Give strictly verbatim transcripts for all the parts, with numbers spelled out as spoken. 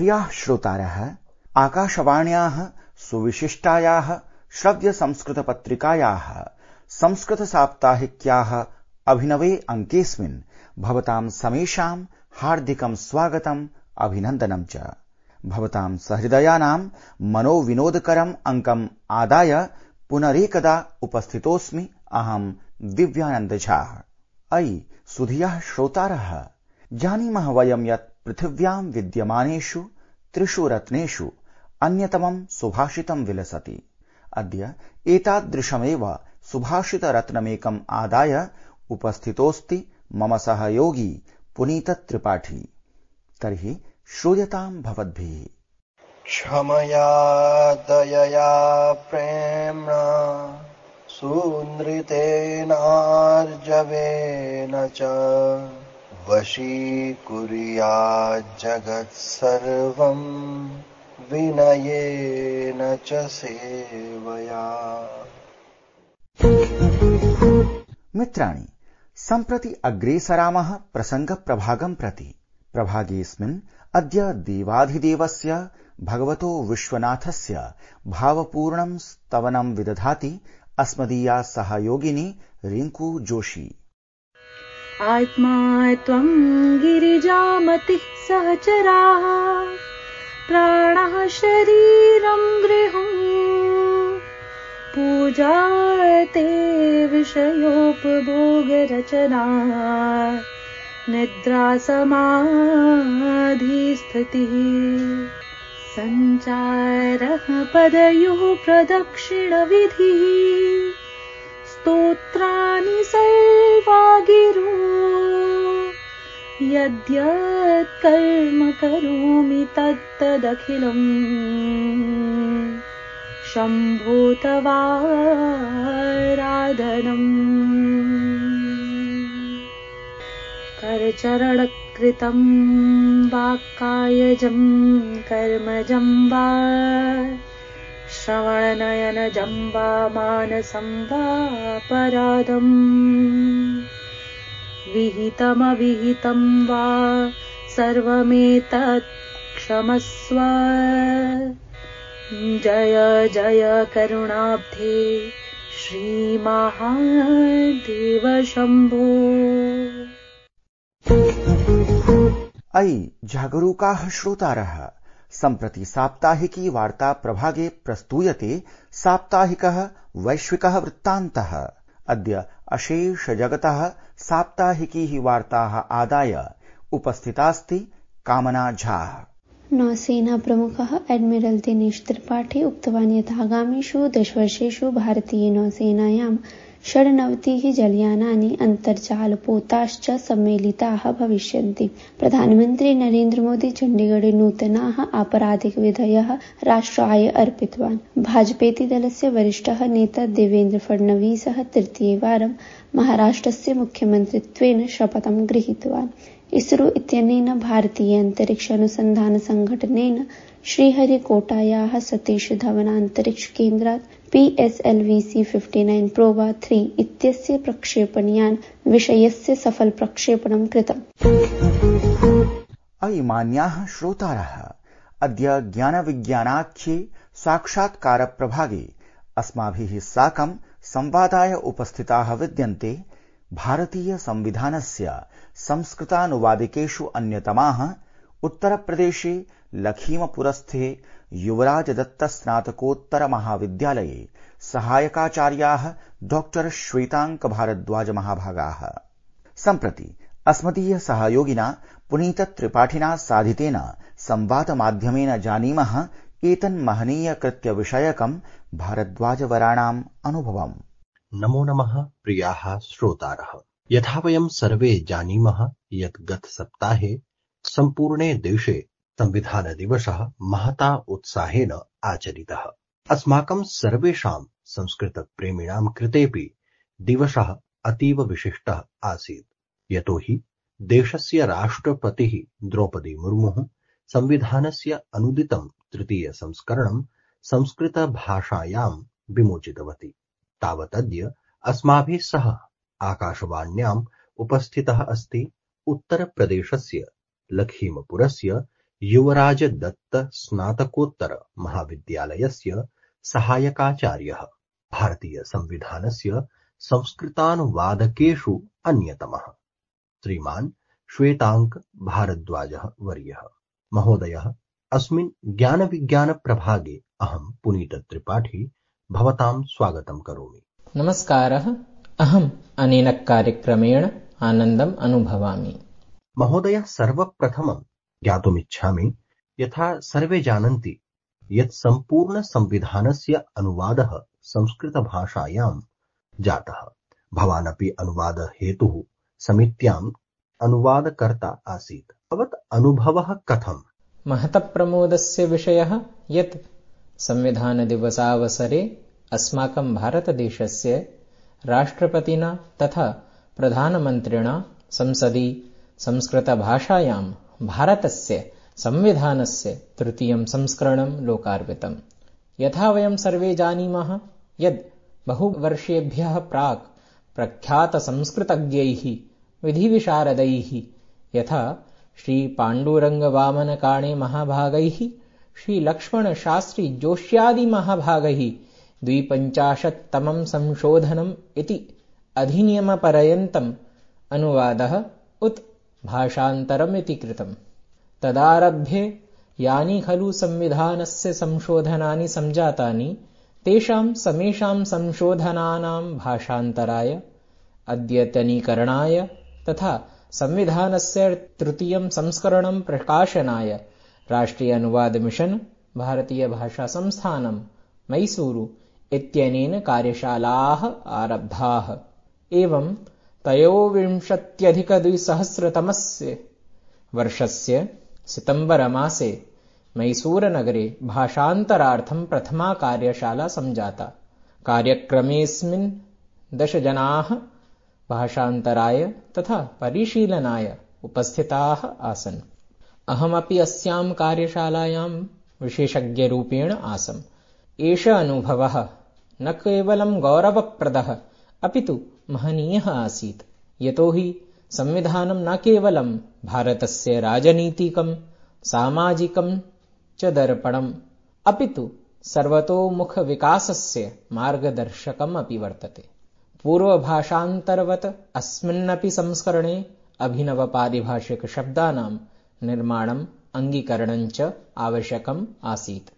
प्रियाः श्रोतारः, आकाशवाण्याः सुविशिष्टायाः श्रव्यसंस्कृतपत्रिकायाः संस्कृतसाप्ताहिक्याः अभिनवे अङ्केऽस्मिन् भवतां समेषां हार्दिकं स्वागतम् अभिनन्दनं च। भवतां सहृदयानां मनोविनोदकरम् अङ्कम् आदाय पुनरेकदा उपस्थितोऽस्मि अहं दिव्यानन्द झा। अयि सुधियः श्रोतारः, जानीमः वयं यत् पृथिव्यां विद्यमानेषु त्रिषु रत्नेषु अन्यतमं सुभाषितं विलसति। अद्य एतादृशमेव सुभाषितरत्नमेकम् आदाय उपस्थितोऽस्ति मम सहयोगी पुनीत त्रिपाठी। तर्हि श्रूयतां भवद्भिः। क्षमया दयया प्रेम्णा सुनृतेनार्जवेन च वशीकुर्यात् जगत्सर्वं विनयेन च सेवया। मित्राणि, सम्प्रति अग्रेसरामः प्रसङ्गप्रभागं प्रति। प्रभागेऽस्मिन् अद्य देवाधिदेवस्य भगवतो विश्वनाथस्य भावपूर्णं स्तवनं विदधाति अस्मदीया सहयोगिनी रिंकू जोशी। आत्मा त्वं गिरिजामतिः सहचराः, प्राणः शरीरं गृहं, पूजा ते विषयोपभोगरचना, निद्रा समाधिस्थितिः, सञ्चारः पदयोः प्रदक्षिणविधिः, स्तोत्राणि सर्वा गिरो, यद्यत् कर्म करोमि तत्तदखिलम् शम्भो तवाराधनम्। करचरणकृतं वाक्कायजं कर्मजं वा, श्रवणनयनजं वा मानसं वा परादम्, विहितमविहितं वा सर्वमेतत् क्षमस्व। जय जय करुणाब्धे श्रीमहादेव शम्भो। अयि जागरूकाः श्रोतारः, सम्प्रति साप्ताहिकी वार्ता प्रभागे प्रस्तूयते साप्ताहिकः वैश्विकः वृत्तान्तः। अद्य अशेष जगतः साप्ताहिकीः वार्ताः आदाय उपस्थितास्ति कामना झा। नौसेना प्रमुखः एडमिरल् दिनेश त्रिपाठी उक्तवान् यत् आगामिषु दशवर्षेषु भारतीय नौसेनायां षड्नवतिः जलयानानि अन्तर्जालपोताश्च सम्मेलिताः भविष्यन्ति। प्रधानमन्त्री नरेन्द्र मोदी चण्डीगढे नूतनाः आपराधिकविधयः राष्ट्राय अर्पितवान्। भाजपेति दलस्य वरिष्ठः नेता देवेन्द्र फडणवीसः तृतीयवारं महाराष्ट्रस्य मुख्यमन्त्रित्वेन शपथं गृहीतवान्। इसरो इत्यनेन भारतीय अन्तरिक्ष अनुसन्धान संघटनेन श्रीहरिकोटायाः सतीश धवन अन्तरिक्ष केन्द्रात् P S L V C उनसठ प्रोवा थ्री इत्यस्य प्रक्षेपणयान विषयस्य सफल प्रक्षेपणं कृतम्। अयि मान्याः श्रोतारः, अद्य ज्ञानविज्ञानाख्ये साक्षात्कार प्रभागे अस्माभिः साकं संवादाय उपस्थिताः विद्यन्ते भारतीय संविधानस्य संस्कृतानुवादिकेषु अन्यतमाः उत्तरप्रदेशे लखीमपुरस्थे युवराजदत्त स्नातकोत्तर महाविद्यालये सहायकाचार्याः डॉक्टर श्वेतांक भारद्वाज महाभागाः। सम्प्रति अस्मदीय सहयोगिना पुनीत त्रिपाठिना साधितेन संवादमाध्यमेन जानीमः एतन्महनीय कृत्य विषयकं भारद्वाजवराणाम् अनुभवम्। नमो नमः प्रियाः श्रोतारः, यथा वयं सर्वे जानीमः यत् गतसप्ताहे सम्पूर्णे देशे संविधानदिवसः महता उत्साहेन आचरितः। अस्माकं सर्वेषां संस्कृतप्रेमिणां कृतेऽपि दिवसः अतीव विशिष्टः आसीत्, यतोहि देशस्य राष्ट्रपतिः द्रौपदी मुर्मुः संविधानस्य अनुदितं तृतीय संस्करणं संस्कृतभाषायां विमोचितवती। तावदद्य अस्माभिः सह आकाशवाण्याम् उपस्थितः अस्ति उत्तरप्रदेशस्य लखीमपुरस्य युवराज दत्त स्नातकोत्तर महाविद्यालयस्य सहायकाचार्यः, भारतीय संविधानस्य संस्कृतानुवादकेषु अन्यतमः। श्रीमान् श्वेताङ्क भारद्वाजः वर्यः। महोदयः, अस्मिन् ज्ञानविज्ञानप्रभागे अहं पुनीत त्रिपाठी भवतां स्वागतं करोमि। नमस्कारः। अहम् अनेन कार्यक्रमेण आनन्दम् अनुभवामि। महोदय, सर्वप्रथमं ज्ञातुमिच्छामि, यथा सर्वे जानन्ति यत् सम्पूर्णसंविधानस्य अनुवादः संस्कृतभाषायां जातः। भवानपि अनुवादहेतुः समित्याम् अनुवादकर्ता आसीत्। भवत् अनुभवः कथम्? महतप्रमोदस्य विषयः यत् संविधानदिवसावसरे अस्माकं भारतदेशस्य राष्ट्रपतिना तथा प्रधानमन्त्रिणा संसदि संस्कृतभाषायां भारतस्य संविधानस्य तृतीयं संस्करणं लोकार्पितम्। यथा वयं सर्वे जानीमः यद् बहुवर्षेभ्यः प्राक् प्रख्यातसंस्कृतज्ञैः विधिविशारदैः यथा श्रीपाण्डुरङ्गवामनकाणे महाभागैः, श्रीलक्ष्मणशास्त्री जोष्यादिमहाभागैः द्विपञ्चाशत्तमं संशोधनम् इति अधिनियमपर्यन्तम् अनुवादः उत भाषान्तरमिति कृतम्। तदारभ्य यानि खलु संविधानस्य संशोधनानि संजातानि, तेषां समेषां संशोधनानां भाषान्तराय, अद्यतनीकरणाय तथा संविधानस्य तृतीयं संस्करणं प्रकाशनाय राष्ट्रीय अनुवाद मिशन, भारतीय भाषा संस्थानं, मैसूरु इत्यनेन कार्यशालाः आरब्धाः। एवं त्रयोविंशत्यधिकद्विसहस्रतमस्य वर्षस्य सितम्बरमासे मैसूरनगरे भाषान्तरार्थं प्रथमा कार्यशाला संजाता। कार्यक्रमेऽस्मिन् दश जनाः भाषान्तराय तथा परिशीलनाय उपस्थिताः आसन्। अहमपि अस्यां कार्यशालायां विशेषज्ञरूपेण आसम्। एषः अनुभवः न केवलं गौरवप्रदः अपितु महनीयः आसीत्, यतोहि संविधानं न केवलं भारतस्य राजनीतिकं सामाजिकं च दर्पणम् अपितु सर्वतोमुखविकासस्य मार्गदर्शकम् अपि वर्तते। पूर्वभाषान्तरवत् अस्मिन्नपि संस्करणे अभिनवपारिभाषिकशब्दानां निर्माणम् अङ्गीकरणं च आवश्यकम् आसीत्।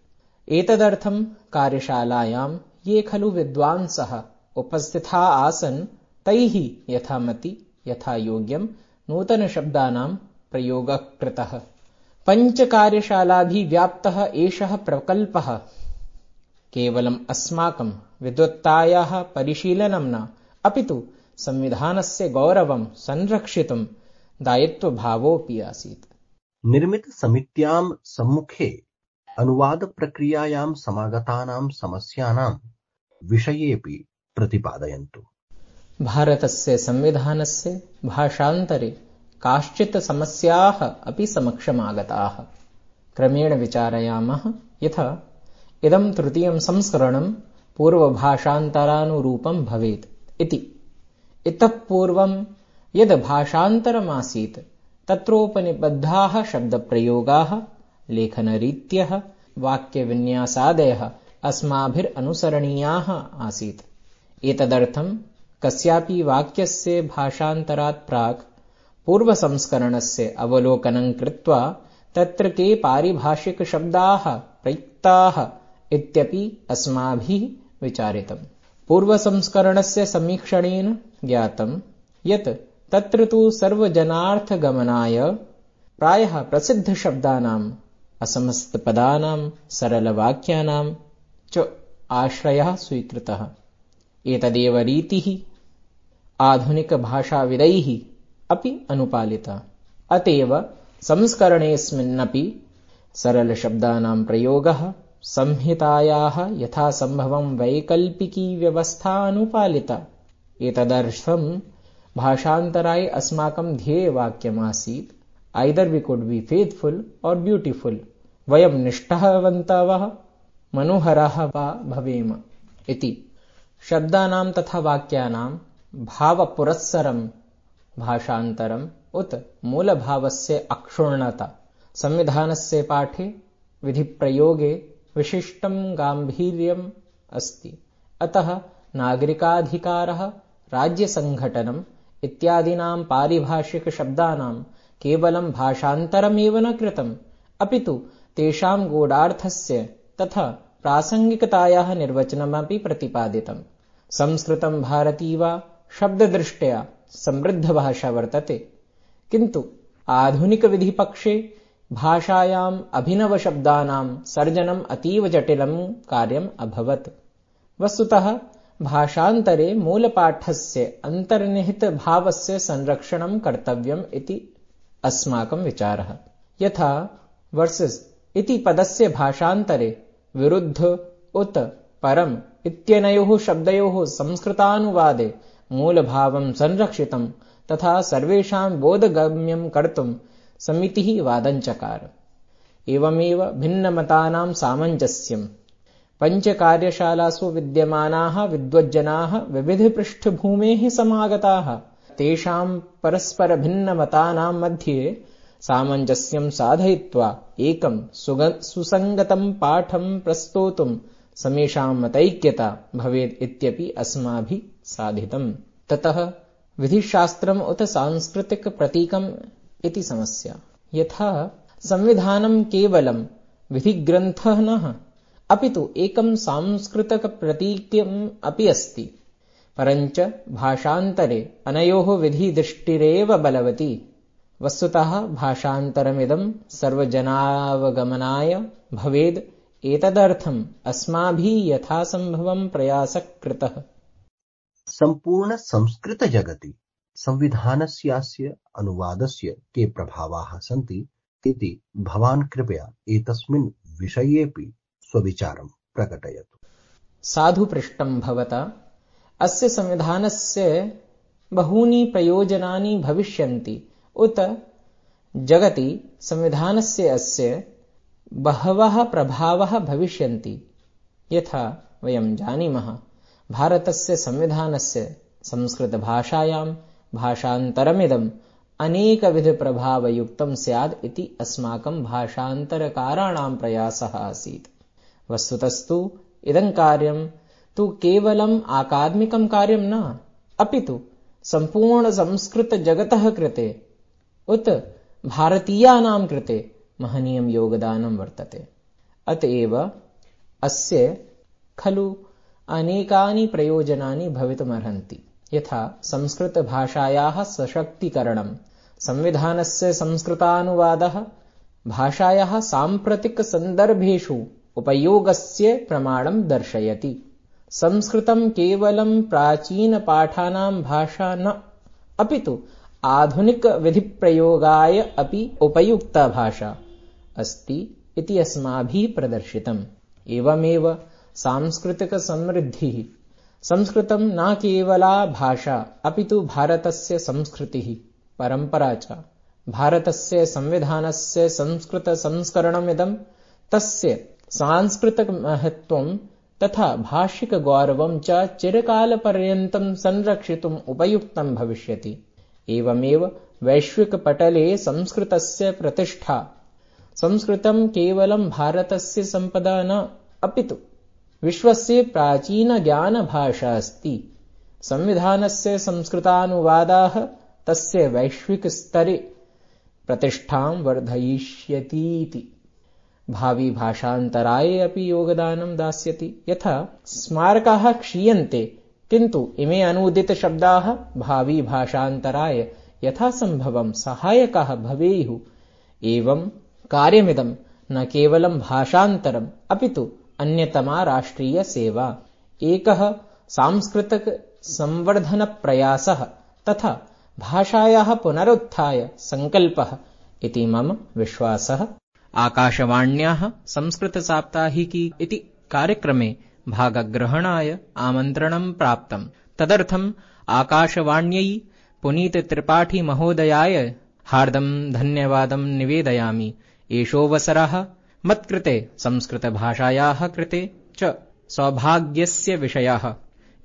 एतदर्थं कार्यशालायां ये खलु विद्वांसः उपस्थिता आसन्, तैः यथामति यथायोग्यं नूतनशब्दानां प्रयोगः कृतः। पञ्चकार्यशालाभिः व्याप्तः एषः प्रकल्पः केवलम् अस्माकं विद्वत्तायाः परिशीलनं न, अपितु संविधानस्य गौरवं संरक्षितुं दायित्वभावोऽपि आसीत्। निर्मितसमित्यां सम्मुखे अनुवादप्रक्रियायां समागतानां समस्यानां विषयेऽपि प्रतिपादयन्तु। भारतस्य संविधानस्य भाषान्तरे काश्चित् समस्याः अपि समक्षमागताः। क्रमेण विचारयामः यथा इदं तृतीयं संस्करणं पूर्वभाषान्तरानुरूपं भवेत् इति। इतः पूर्वं यद् भाषान्तरमासीत् तत्रोपनिबद्धाः शब्दप्रयोगाः, लेखनरीत्यः, वाक्यविन्यासादयः अस्माभिरनुसरणीयाः आसीत्। एतदर्थं कस्यापि वाक्यस्य भाषान्तरात् प्राक् पूर्वसंस्करणस्य अवलोकनं कृत्वा तत्र के पारिभाषिकशब्दाः प्रयुक्ताः इत्यपि अस्माभिः विचारितम्। पूर्वसंस्करणस्य समीक्षणेन ज्ञातं यत् तत्र तु सर्वजनार्थगमनाय प्रायः प्रसिद्धशब्दानाम्, असमस्तपदानां, सरलवाक्यानां च आश्रयः स्वीकृतः। एतदेव रीतिः आधुनिकभाषाविदैः अपि अनुपालिता। अतएव संस्करणेऽस्मिन्नपि सरलशब्दानां प्रयोगः, संहितायाः यथासम्भवं वैकल्पिकी व्यवस्था अनुपालिता। एतदर्थं भाषान्तराय अस्माकं ध्येयवाक्यमासीत् either we could be faithful or beautiful, वयं निष्ठावन्तवः मनोहराः वा भवेम इति। शब्दानां तथा वाक्यानां भावपुरस्सरं भाषान्तरम् उत मूलभावस्य अक्षुण्णता संविधानस्य पाठे विधिप्रयोगे विशिष्टं गाम्भीर्यम् अस्ति। अतः नागरिकाधिकारः, राज्यसङ्घटनम् इत्यादीनां पारिभाषिकशब्दानां केवलं भाषान्तरमेव न कृतम्, अपि तु तेषां गूढार्थस्य तथा प्रासङ्गिकतायाः निर्वचनमपि प्रतिपादितम्। संस्कृतं भारती वा शब्ददृष्ट्या समृद्धभाषा वर्तते, किन्तु आधुनिकविधिपक्षे भाषायाम् अभिनवशब्दानां सर्जनम् अतीव जटिलं कार्यम् अभवत्। वस्तुतः भाषान्तरे मूलपाठस्य अन्तर्निहितभावस्य संरक्षणं कर्तव्यम् इति अस्माकं विचारः। यथा वर्सेस् इति पदस्य भाषान्तरे विरुद्ध उत परम् इत्यनयोः शब्दयोः संस्कृतानुवादे मूलभावं संरक्षितं तथा सर्वेषां बोधगम्यं कर्तुं समितिः वादञ्चकार। एवमेव भिन्नमतानां सामञ्जस्यम्। पञ्चकार्यशालासु विद्यमानाः विद्वज्जनाः विविधपृष्ठभूमेः समागताः। तेषां परस्परभिन्नमतानां मध्ये सामञ्जस्यं साधयित्वा एकं सुसङ्गतं पाठं प्रस्तोतुं समेषां मतैक्यता भवेत् इत्यपि अस्माभिः साधितम्। ततः विधिशास्त्रम् उत सांस्कृतिकप्रतीकम् इति समस्या। यथा संविधानं केवलं विधिग्रन्थः न, अपि तु एकं सांस्कृतिकप्रतीकम् अपि अस्ति। परञ्च भाषान्तरे अनयोः विधिदृष्टिरेव बलवती। वस्तुतः भाषान्तरमिदं सर्वजनावगमनाय भवेद्। एतदर्थम् अस्माभिः यथासम्भवं प्रयासः कृतः। सम्पूर्ण संस्कृत जगति संविधानस्यास्य अनुवादस्य के प्रभावाः सन्ति इति भवान् कृपया एतस्मिन् विषयेऽपि स्वविचारं प्रकटयतु। साधु पृष्टं भवता। अस्य संविधानस्य बहूनि प्रयोजनानि भविष्यन्ति उत जगति संविधानस्य अस्य बहवः प्रभावः भविष्यन्ति। यथा वयं जानीमः, भारतस्य संविधानस्य संस्कृतभाषायां भाषान्तरमिदम् अनेकविधप्रभावयुक्तं स्यात् इति अस्माकं भाषान्तरकाराणां प्रयासः आसीत्। वस्तुतस्तु इदं कार्यं तु केवलम् आकादमिकं कार्यं न, अपि तु सम्पूर्णसंस्कृतजगतः कृते उत भारतीयानां कृते महनीयं योगदानं वर्तते। अतएव अस्य खलु अनेकानि प्रयोजनानि भवितुमर्हन्ति। यथा संस्कृतभाषायाः सशक्तीकरणं, संविधानस्य संस्कृतानुवादः, भाषायाः साम्प्रतिकसन्दर्भेषु उपयोगस्य प्रमाणं दर्शयति। संस्कृतं केवलं प्राचीनपाठानां भाषा न, अपि तु आधुनिकविधिप्रयोगाय अपि उपयुक्ता भाषा अस्ति इति अस्माभिः प्रदर्शितम्। एवमेव सांस्कृतिकसमृद्धिः। संस्कृतं न केवला भाषा, अपि तु भारतस्य संस्कृतिः, परम्परा च। भारतस्य संविधानस्य संस्कृतसंस्करणमिदं तस्य सांस्कृतिकमहत्त्वं तथा भाषिकगौरवं च चिरकालपर्यन्तं संरक्षितुम् उपयुक्तं भविष्यति। एवमेव वैश्विकपटले संस्कृतस्य प्रतिष्ठा। संस्कृतं केवलं भारतस्य सम्पदा न, अपि तु विश्वस्य प्राचीनज्ञानभाषा अस्ति। संविधानस्य संस्कृतानुवादाः तस्य वैश्विकस्तरे प्रतिष्ठां वर्धयिष्यतीति। भावी भाषान्तराय अपि योगदानं दास्यति। यथा स्मारकाः क्षीयन्ते, किन्तु इमे अनूदितशब्दाः भावी भाषान्तराय यथासम्भवं सहायकाः भवेयुः। एवं कार्यमिदं न केवलं भाषान्तरम्, अपि तु अन्यतमा राष्ट्रियसेवा, एकः सांस्कृतिक संवर्धनप्रयासः तथा भाषायाः पुनरुत्थाय संकल्पः इति मम विश्वासः। आकाशवाण्याः संस्कृतसाप्ताहिकी इति कार्यक्रमे भागग्रहणाय आमन्त्रणं प्राप्तम्। तदर्थम् आकाशवाण्यै पुनीतत्रिपाठी महोदयाय हार्दं धन्यवादं निवेदयामि। एषोऽवसरः मत्कृते संस्कृतभाषायाः कृते च सौभाग्यस्य विषयः।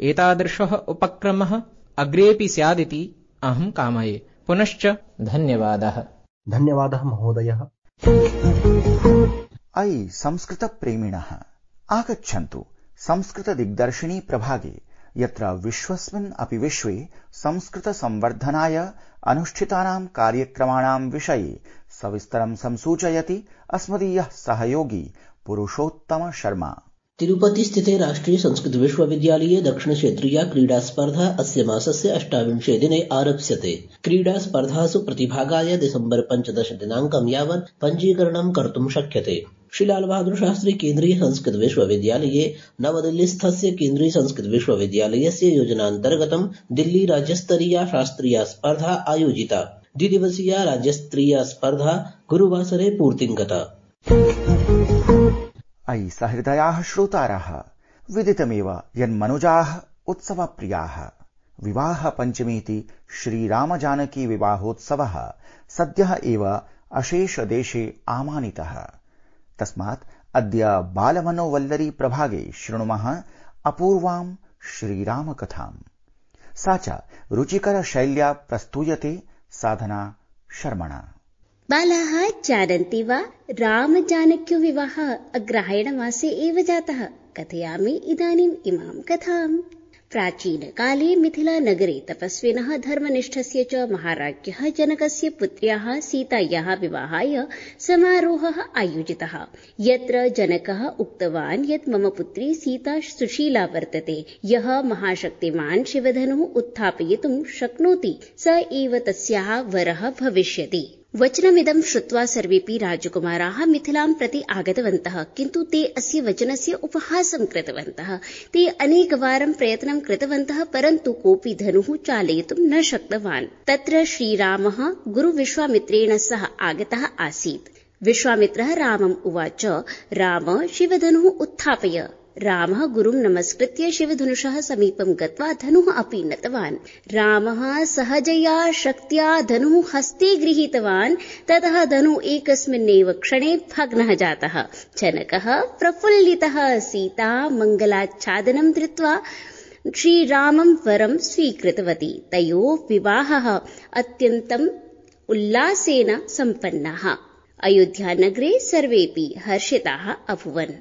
एतादृशः उपक्रमः अग्रेऽपि स्यादिति अहं कामये। पुनश्च धन्यवादः। धन्यवादः महोदयः। अयि संस्कृतप्रेमिणः आगच्छन्तु संस्कृतदिग्दर्शिनी प्रभागे, यत्र विश्वस्मिन् अपि विश्वे संस्कृतसंवर्धनाय अनुष्ठितानां कार्यक्रमाणां विषये सविस्तरं संसूचयति अस्मदीयः सहयोगी पुरुषोत्तम शर्मा। तिरुपति स्थिते राष्ट्रीय संस्कृत विश्वविद्यालये दक्षिण क्षेत्रीया क्रीडा स्पर्धा अस्य मासस्य अष्टाविंशे दिने आरप्स्यते। क्रीडा स्पर्धासु प्रतिभागाय दिसम्बर पञ्चदश दिनाङ्कं यावत् पञ्जीकरणं कर्तुं शक्यते। श्री लाल बहादुर शास्त्री केन्द्रीय संस्कृत विश्वविद्यालये नवदिल्लीस्थस्य केन्द्रीय संस्कृत विश्वविद्यालयस्य योजनान्तर्गतं दिल्ली राज्यस्तरीया शास्त्रीया स्पर्धा आयोजिता। द्विदिवसीया राज्यस्तरीया स्पर्धा गुरुवासरे पूर्तिं गता। अयि सहृदयाः श्रोतारः, विदितमेव यन्मनुजाः उत्सवप्रियाः। विवाह पञ्चमीति श्रीरामजानकी विवाहोत्सवः सद्यः एव अशेष देशे आमानितः। तस्मात् अद्य बालमनोवल्लरी प्रभागे शृणुमः अपूर्वां श्रीरामकथाम्। सा च रुचिकरशैल्या प्रस्तूयते साधना शर्मणा। बालाः जानन्ति वा, रामजानक्यो विवाहः अग्रहायणमासे एव जातः। कथयामि इदानीम् इमां कथाम्। प्राचीनकाले मिथिलानगरे तपस्विनः धर्मनिष्ठस्य च महाराज्ञः जनकस्य पुत्र्याः सीतायाः विवाहाय समारोहः आयोजितः, यत्र जनकः उक्तवान् यत् मम पुत्री सीता सुशीला वर्तते। यः महाशक्तिमान् शिवधनुः उत्थापयितुं शक्नोति स एव तस्याः वरः भविष्यति। वचनमिदं श्रुत्वा सर्वेऽपि राजकुमाराः मिथिलां प्रति आगतवन्तः, किन्तु ते अस्य वचनस्य उपहासं कृतवन्तः। ते अनेकवारं प्रयत्नं कृतवन्तः, परन्तु कोऽपि धनुः चालयितुं न शक्तवान्। तत्र श्रीरामः गुरुविश्वामित्रेण सह आगतः आसीत्। विश्वामित्रः रामम् उवाच, राम, शिवधनुः उत्थापय। रामः गुरुं नमस्कृत्य शिवधनुषः समीपं गत्वा धनुः अपि नतवान्। रामः सहजया शक्त्या धनुः हस्ते गृहीतवान्। ततः धनुः एकस्मिन्नेव क्षणे भग्नः जातः। जनकः प्रफुल्लितः सीता मङ्गलाच्छादनं धृत्वा श्रीरामं वरं स्वीकृतवती। तयोः विवाहः अत्यन्तम् उल्लासेन सम्पन्नः। अयोध्यानगरे सर्वेऽपि हर्षिताः अभूवन्।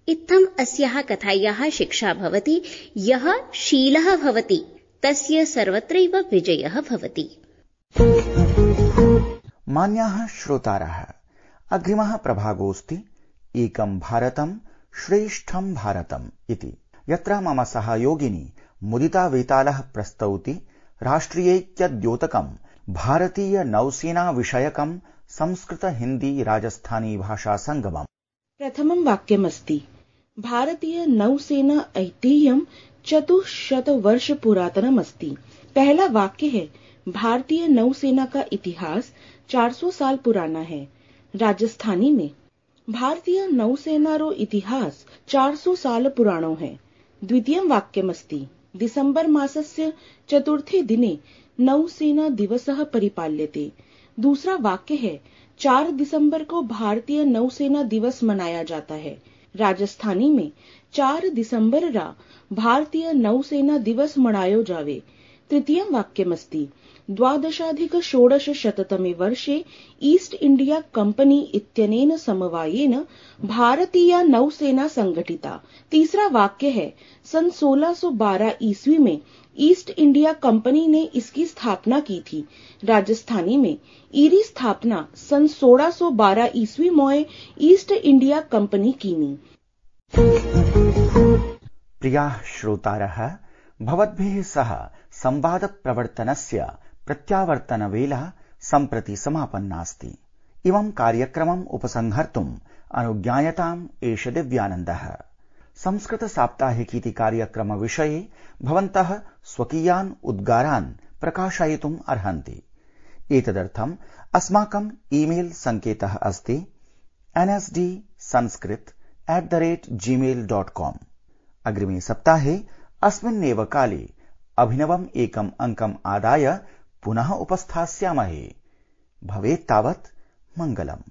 इत्थम् अस्याः कथायाः शिक्षा भवति, यः शीलः भवति तस्य सर्वत्रैव विजयः भवति। मान्याः श्रोतारः, अग्रिमः प्रभागोऽस्ति एकं भारतं श्रेष्ठं भारतम् इति, यत्र मम सहयोगिनी मुदिता वेतालः प्रस्तौति राष्ट्रियैक्यद्योतकं भारतीय नौसेना विषयकं संस्कृत हिन्दी राजस्थानी भाषा संगमम्। प्रथमं वाक्यमस्ति, भारतीय नौसेना ऐतिह्यं चतुश्शत वर्ष पुरातनम अस्ति। पहला वाक्य है, भारतीय नौसेना का इतिहास चार सौ साल पुराना है। राजस्थानी में भारतीय नौसेना रो इतिहास चार सौ साल पुराणो है। द्वितीयं वाक्यमस्ति, दिसंबर मासस्य चतुर्थे दिने नौसेना दिवसः परिपाल्यते। दूसरा वाक्य है, चार दिसंबर को भारतीय नौसेना दिवस मनाया जाता है। राजस्थानी में चार दिसंबर रा भारतीय नौसेना दिवस मनायो जावे। तृतीयं वाक्यमस्ति, द्वादशाधिक षोडश शततमे वर्षे ईस्ट इंडिया कंपनी इत्यनेन समवायेन भारतीय नौसेना संगठिता। तीसरा वाक्य है, सन सोलह सौ बारह ईस्वी में ईस्ट इंडिया कंपनी ने इसकी स्थापना की थी। राजस्थानी में ईरी स्थापना सन सोलह सौ बारह ईस्वी मोए ईस्ट इंडिया कंपनी कीनी। प्रियाः श्रोतारः, भवद्भिः सह संवाद प्रवर्तनस्य प्रत्यावर्तनवेला सम्प्रति समापन्नास्ति। इमं कार्यक्रमम् उपसंहर्तुम् अनुज्ञायताम् एष दिव्यानन्दः। संस्कृत साप्ताहिकीति कार्यक्रम विषये भवन्तः स्वकीयान् उद्गारान् प्रकाशयितुम् अर्हन्ति। एतदर्थम् अस्माकम् ईमेल सङ्केतः अस्ति N S D Sanskrit at the rate Gmail dot com. अग्रिमे सप्ताहे अस्मिन्नेव काले अभिनवम् एकम् अङ्कम् आदाय पुनः उपस्थास्यामहे। भवेत् तावत् मङ्गलम्।